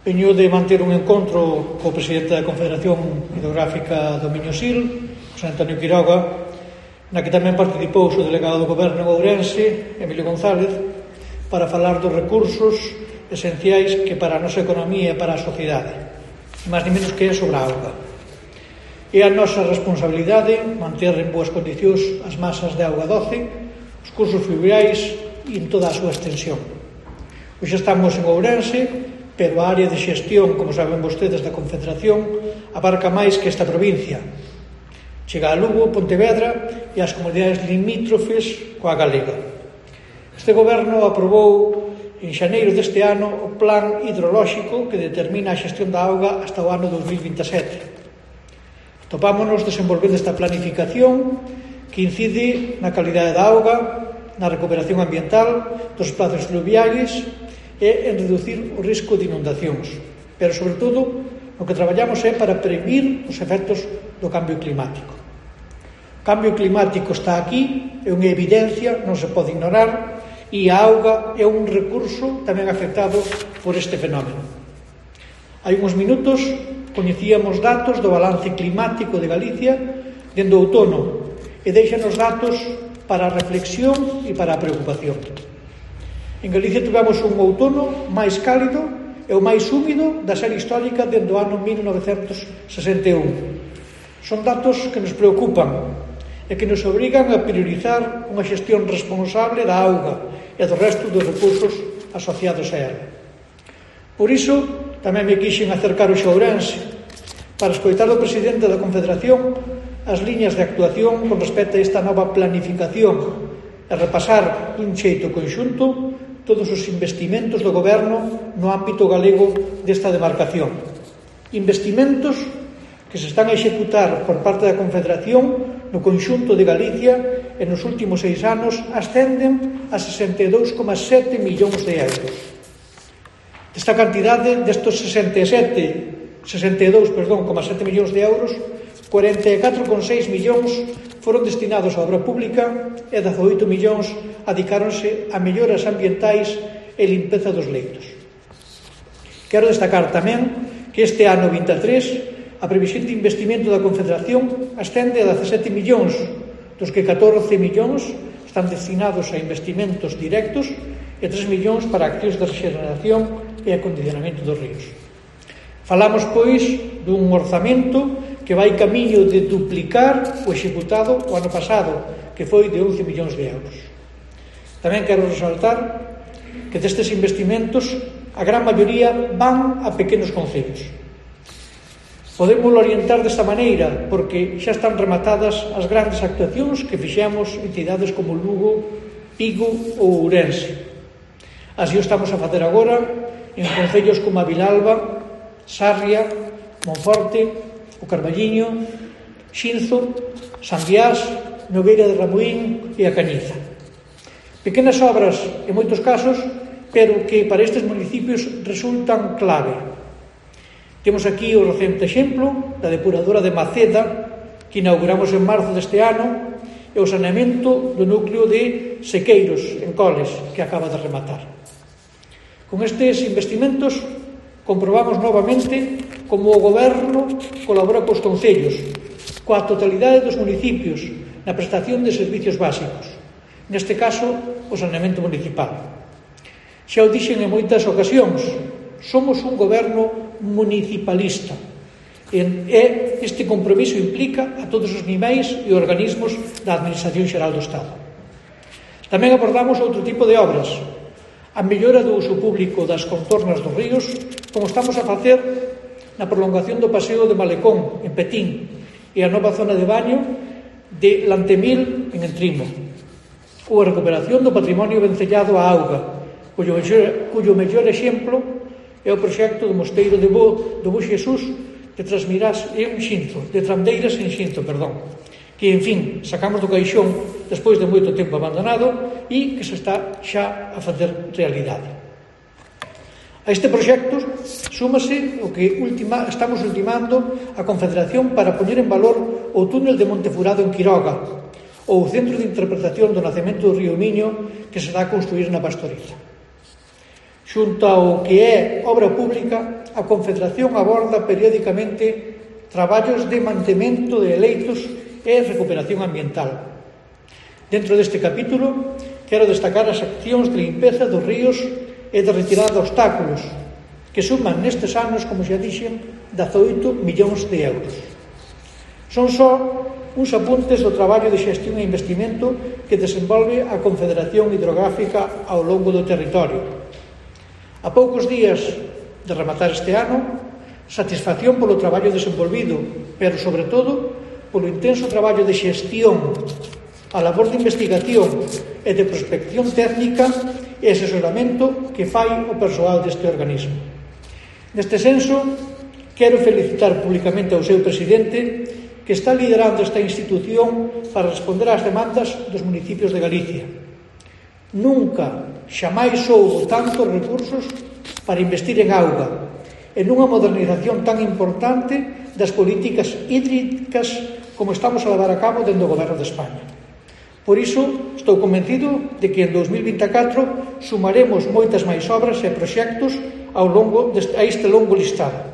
Veño de manter un encontro co presidente da Confederación Hidrográfica do Miño-Sil, José Antonio Quiroga, na que tamén participou o seu delegado do Goberno en Ourense, Emilio González, para falar dos recursos esenciais que para a nosa economía e para a sociedade, máis ni menos que é sobre a auga. É a nosa responsabilidade manter en boas condicións as masas de auga doce, os cursos fluviais e en toda a súa extensión. Hoxe estamos en Ourense, pero a área de xestión, como saben vostedes, da Confederación abarca máis que esta provincia. Chega a Lugo, Pontevedra e as comunidades limítrofes coa galega. Este goberno aprobou en xaneiro deste ano o plan hidrolóxico que determina a xestión da auga hasta o ano 2027. Topámonos desenvolvendo esta planificación que incide na calidade da auga, na recuperación ambiental dos espazos fluviais e en reducir o risco de inundacións. Pero, sobre todo, o que traballamos é para prevenir os efectos do cambio climático. O cambio climático está aquí, é unha evidencia, non se pode ignorar, e a auga é un recurso tamén afectado por este fenómeno. Hai uns minutos coñecíamos datos do balance climático de Galicia dende o outono e deixanos datos para a reflexión e para a preocupación. En Galicia tivemos un outono máis cálido e o máis húmido da serie histórica dende o ano 1961. Son datos que nos preocupan e que nos obrigan a priorizar unha xestión responsable da auga e do resto dos recursos asociados a ela. Por iso, tamén me quixen acercar o Ourense para escoitar do presidente da Confederación as liñas de actuación con respecto a esta nova planificación e repasar un xeito conxunto todos os investimentos do Goberno no ámbito galego desta demarcación. Investimentos que se están a executar por parte da Confederación no conxunto de Galicia e nos últimos 6 anos ascenden a 62,7 millóns de euros. Desta cantidade, destos 62,7 millóns de euros, 44,6 millóns foron destinados á obra pública e 18 millóns adicáronse a melloras ambientais e limpeza dos leitos. Quero destacar tamén que este ano 23 a previsión de investimento da Confederación ascende a 17 millóns, dos que 14 millóns están destinados a investimentos directos e 3 millóns para accións de rexeneración e acondicionamento dos ríos. Falamos, pois, dun orzamento que vai camiño de duplicar o executado o ano pasado, que foi de 11 millóns de euros. Tamén quero resaltar que destes investimentos a gran maioría van a pequenos concellos. Podemos orientar desta maneira porque xa están rematadas as grandes actuacións que fixemos entidades como Lugo, Vigo ou Ourense. Así o estamos a facer agora en concellos como a Vilalba, Sarria, Monforte, o Carballiño, Xinzo, San Biás, Nogueira de Ramuín e a Cañiza. Pequenas obras, en moitos casos, pero que para estes municipios resultan clave. Temos aquí o recente exemplo da depuradora de Maceda, que inauguramos en marzo deste ano, e o saneamento do núcleo de Sequeiros, en Coles, que acaba de rematar. Con estes investimentos comprobamos novamente como o Goberno colabora cos concellos, coa totalidade dos municipios, na prestación de servicios básicos, neste caso, o saneamento municipal. Xa o dixen en moitas ocasións, somos un goberno municipalista, e este compromiso implica a todos os niveis e organismos da Administración Xeral do Estado. Tamén abordamos outro tipo de obras, a mellora do uso público das contornas dos ríos, como estamos a facer na prolongación do paseo de Malecón, en Petín, e a nova zona de baño de Lantemil, en Entrimo, ou a recuperación do patrimonio vencellado á auga, cuyo mellor exemplo é o proxecto do Mosteiro do Bo Xesús de Trasmirás en Xinzo, de Trandeiras en Xinzo, que, en fin, sacamos do caixón despois de moito tempo abandonado e que se está xa a facer realidade. A este proxecto súmase o que estamos ultimando a Confederación para poñer en valor o túnel de Montefurado en Quiroga ou o Centro de Interpretación do Nacemento do Río Miño que se dá a construir na Pastoriza. Xunto ao que é obra pública, a Confederación aborda periódicamente traballos de mantemento de eleitos e recuperación ambiental. Dentro deste capítulo, quero destacar as accións de limpeza dos ríos e de retirada de obstáculos, que suman nestes anos, como xa dixen, 18 millóns de euros. Son só uns apuntes do traballo de xestión e investimento que desenvolve a Confederación Hidrográfica ao longo do territorio. A poucos días de rematar este ano, satisfacción polo traballo desenvolvido, pero, sobre todo, polo intenso traballo de xestión, a labor de investigación e de prospección técnica e asesoramento que fai o persoal deste organismo. Neste senso, quero felicitar públicamente ao seu presidente, que está liderando esta institución para responder ás demandas dos municipios de Galicia. Nunca, xamais houbo tantos recursos para investir en auga e nunha modernización tan importante das políticas hídricas como estamos a levar a cabo dentro do Goberno de España. Por iso, estou convencido de que en 2024 sumaremos moitas máis obras e proxectos a este longo listado.